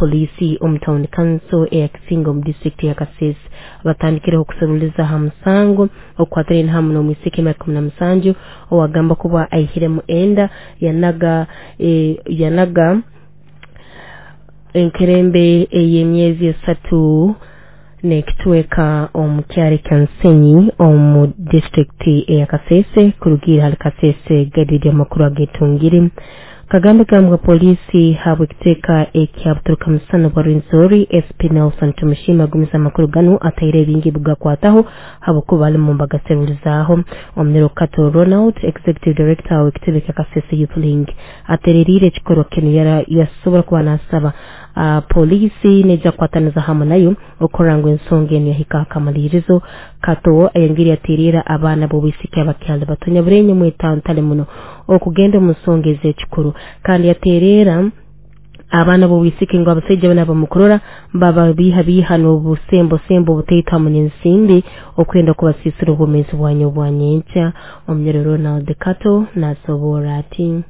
Poliisi omu town council eya Kisinga omu disitulikiti ya Kasese batandikireho okuseruliza ha musango okukwatiraine hamu n'omwisiki emyaka 17 owagamba kuba aihiremu enda yanaga enkerembe ey'emyezi 3 n'ekitweka omu kyaro kya Nsenyi omu disitulikiti eya Kasese. Kurugiira hali Kasese Gadidi amakuru agetungire Kagambe gambwa polisi habw'ekiteeka ekya Buturuka Musana bwa Rwenzori SP Nelson Tumushima agumiza amakuru ganu ataire ebingi bugakwataho habwokuba balimu mbagaserulizaaho. Omunyoro Kato Ronald, Executive Director w'ekitebe kya Kasese Youth Link, atereriire ekikorwa kinu yasobora kuba nasaba polisi nejja kukwataniza hamu nayo okurora ngu ensonga enu yahika akamalirizo. Kato ayongere yaterera abaana b'obwisiki abakyali bato nyaburenye mwetantale muno okugenda omu nsonga ez'ekikuru, kandi yaterera abaana b'obwisiki ngu abasaija bano abamukurora bababiiha biiha n'obusembo sembo obutaito hamu n'ensimbi okwenda kubasiisira obwomeezi bwanyu obwa nyenkya. Omunyoro Ronald Kato nasoborra ati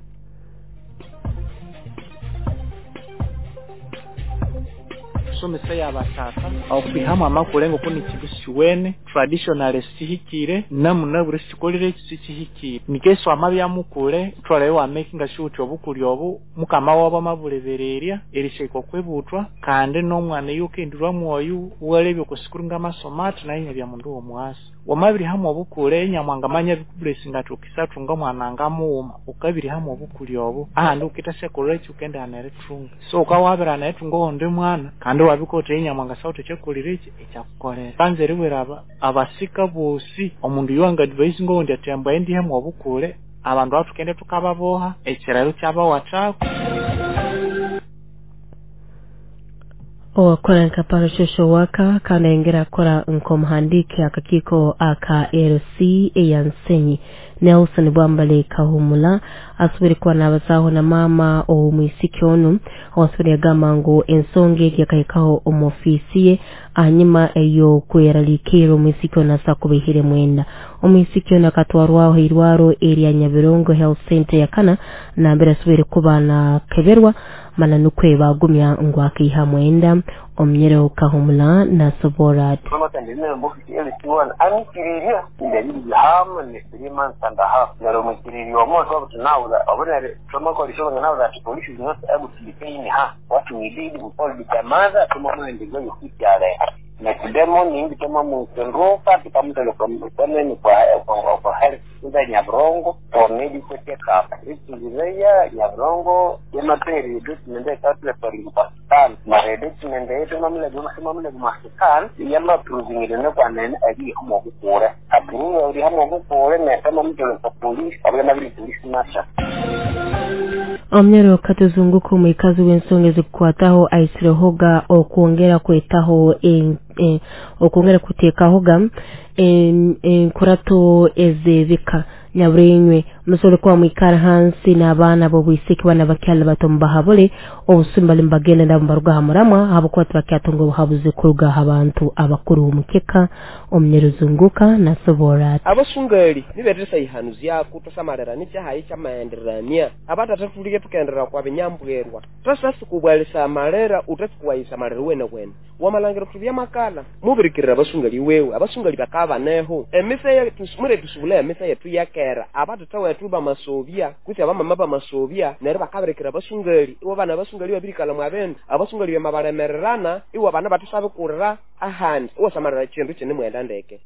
Somesa y'abatata okwihamu amakuru ngo kuni kintu siwene traditional sihikire namunabure sikolere sikihikire nikeso amabya mukule twaleyo wa making sure uti obukuli obu mukama wabo mabulebererya erisheko kwebutwa kandi n'omwana yokendurwa mwoyu walebye kusikurunga amasomati naye nyabya mundu omwasi wamabiri hamwe obukule nyamwanga manya bikublessinga ati mwana ngamuuma ukabiri hamwe obukuli obu ahandi ukita sekolere ukenda aneretunga so ukawabira aneretunga onde mwana kandi wabikote nyamwanga sauti kyekulire eki ekyakukolera kanze riwera abasika bosi omundu yuwanga advice ngo ndi atembwa endi hamwe obukule abantu atukende tukababoha ekiraro kyabawatako. Owakora nka parasocial worker kandi ayongera akora nk'omuhandiiki akakiiko aka LC eya Nsenyi Nelson Bwambale Kahumula asobore kuba nabazaaho na maama ow'omwisiki onu owasobore yagamba ngu ensonga egi yakahikaho omu ofiisi ye hanyuma ey'okweraliikirra omwisiki onu asa kuba aihiremu enda. Omwisiki onu akatwarwaho irwaro erya Nyabirongo Health Center yakana nambere asobore kuba nakeberwa mana nukwe bagumya ngu akaihamu enda. Omunyero Kahumula nasobora ati Nekidemo ningitoma musenroka tukamutelo koneni kwa health center Nyabirongo for medical check up ikizireya Nyabirongo yamaperi document ekatule for Pakistan mare document yetu mamle Pakistan yama proving ne kwa nene ali homo kukura approve uri homo kukura ne kama mutelo kwa police abana nabiri police masha. Omunyoro Katuzunguka omwikazi w'ensonga ezikukwataho aisirehoga okwongera kwetaho okwongera kuteekahoga enkurato ez'ebika nyaburenywe musobole kuba mwikara hansi n'abaana b'obwisiki bana bakyali bato mubahabule obusumi bali mbagenda nabo mbaruga ha muramwa habwokuba tibakyatunga obuhabuzi kuruga ha bantu abakuru omukeka. Omunyeruzunguka nasobora ati abasungali niberesa ihanu zyaku tosamalera nikyahayi kyamaenderania abatata tulike tukenderera kwa binyambwerwa tosasi kubwalisa amalera utasi amalera wene wene wamalangira kutubya makala mubirikirira abasungali wewe abasungali bakabaneho emise yetu mure tusubula emise yetu yakera abatata wetu bamasobya kuti abamama bamasobya nere bakabirikira abasungali iwo bana abasungali babirikala mwabendu abasungali bamabalemererana iwo bana batusabe kurira ahandi iwo samalera chindu chine mwenda ndeke.